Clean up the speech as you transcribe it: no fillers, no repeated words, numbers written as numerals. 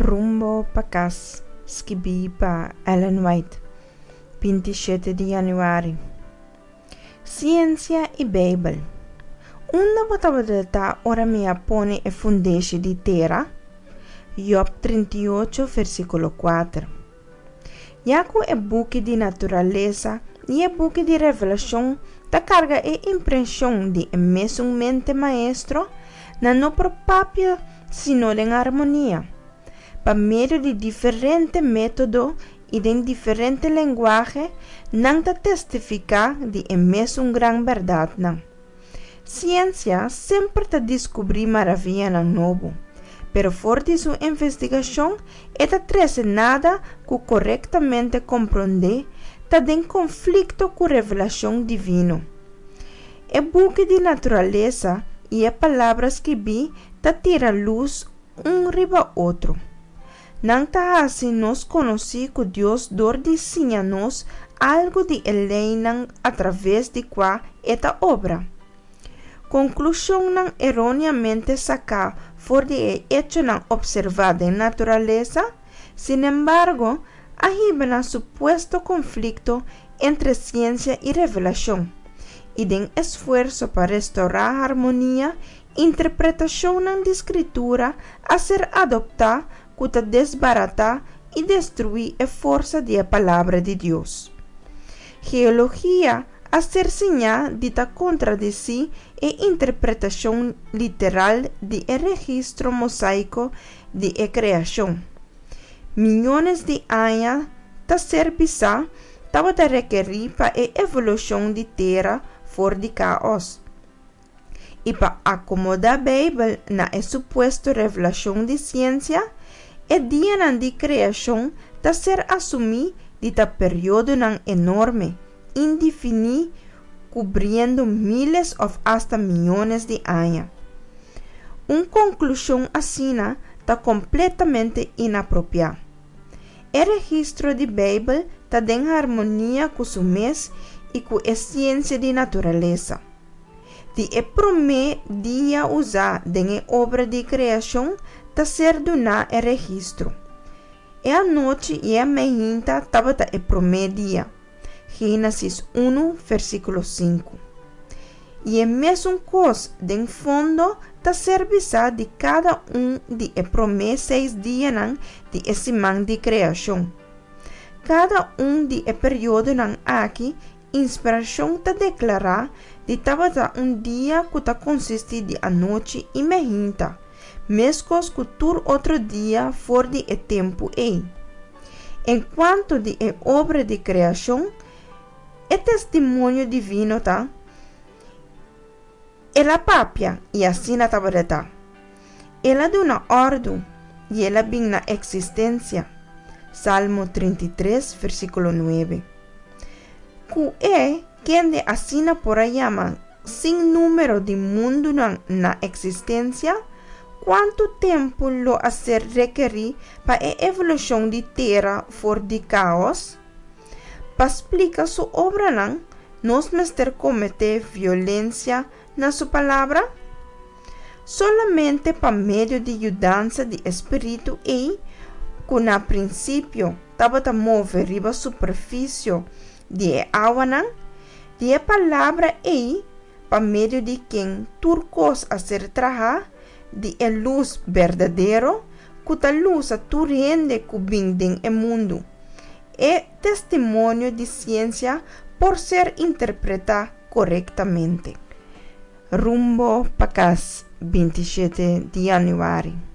Rumbo pa kas, skibí pa Ellen White, 27 di yanüari. Siensia i Beibel. Unda bo tabata ta ora mi a pone e fundeshi di tera? Job 38, versíkulo 4. Ya ku e buki di naturalesa i e buki di Revelashon ta karga e impreshon di e mesun mente maestro, nan no por papia sino den armonia. Pa medio di diferente método i den diferente lenguahe, nan ta testifiká di e mesun gran bèrdatnan. Siensia semper ta diskubrí maravianan nobo, pero for di su investigashon e ta trese nada ku korektamente komprondé ta den konflikto ku revelashon divino. E buki di naturalesa i e Palabra skibí ta tira lus un riba otro. Nan ta hasi nos konosí ku Dios dor di siña nos algu di e leinan atraves di kua e ta obra. Konklushonnan eróneamente saká for di e echonan opservá den naturalesa, sinembargo, a hiba na supuesto konflikto entre siensia i revelashon, i den esfuerso pa restourá harmonia, interpretashonnan di Skritura a ser adoptá ku ta desbaratá i destruí e forsa di e Palabra di Dios. Geologia a ser siñá di ta kontradesí e interpretashon literal di e registro mosaiko di e kreashon. Miyones di aña ta ser bisá tabata rekerí pa e evolushon di tera for di káos. I pa akomodá Beibel na e supuesto revelashon di siensia, e dianan di kreashon ta ser asumí di ta periodonan enorme, indefiní kubriendo míles òf asta miyones di aña. Un konklushon asina ta kompletamente inapropiá. E registro di Beibel ta den harmonia ku su mes i ku e siensia di naturalesa. Di e promé dia usá den e obra di kreashon ta ser duná e registro. E anochi i e meinta tabata e promé dia. Génesis 1, versíkulo 5. I e mesun kos den fondo ta ser bisá di kada un di e promé seis dianan di e siman di kreashon. Kada un di e periodonan aki Inspirashon ta deklará di tabata un dia ku ta konsistí di anochi i mehinta, meskos ku tur otro dia for di e tempu ei. En kuanto di e obra di kreashon, e testimonio divino ta, El a papia, i asina tabata ta. El a duna òrdu, i el a bin na eksistensia. Salmo 33, versíkulo 9. Ku e kende asina por a yama sin número di mundunan na eksistensia, kuantu tempu lo a ser rekerí pa e evolushon di tera for di káos? Pa splika su obranan, nos mester kometé violensia na su Palabra? Solamente pa medio di yudansa di e spiritu ei, ku na prinsipio tabata move riba superfisio di e awanan, di e Palabra ei, pa medio di ken tur kos a ser trahá, di e lus berdadero, ku ta lusa tur hende ku bin den e mundu. E testimonio di siensia por ser interpretá korektamente. Rumbo pa kas 27 di yanüari.